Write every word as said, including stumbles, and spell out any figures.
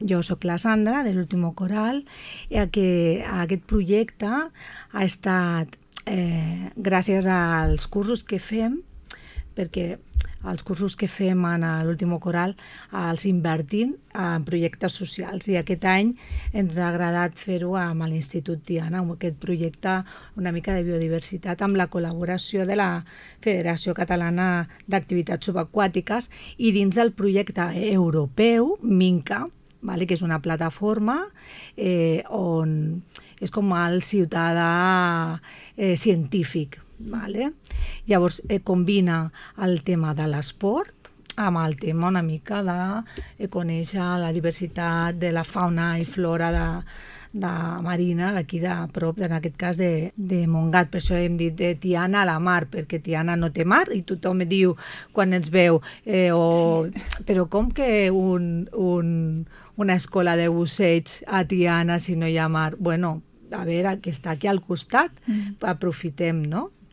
jo sóc la Sandra, de l'Último Coral, i que aquest projecte ha estat eh, gràcies als cursos que fem, perquè els cursos que fem en l'Último Coral els invertim en projectes socials, i aquest any ens ha agradat fer-ho amb l'Institut Tiana, amb aquest projecte una mica de biodiversitat, amb la col·laboració de la Federació Catalana d'Activitats Subaquàtiques i dins del projecte europeu Minca, vale, que és una plataforma eh, on és com el ciutadà eh, científic. Vale? Llavors eh, combina el tema de l'esport amb el tema una mica de eh, conèixer la diversitat de la fauna i flora de, de marina d'aquí de prop, en aquest cas de, de Montgat. Per això hem dit de Tiana a la mar, perquè Tiana no té mar i tothom diu quan ens veu eh, o, sí. Però com que un, un, una escola de busseig a Tiana si no hi ha mar? Bueno, a veure, que està aquí al costat, mm. aprofitem, no?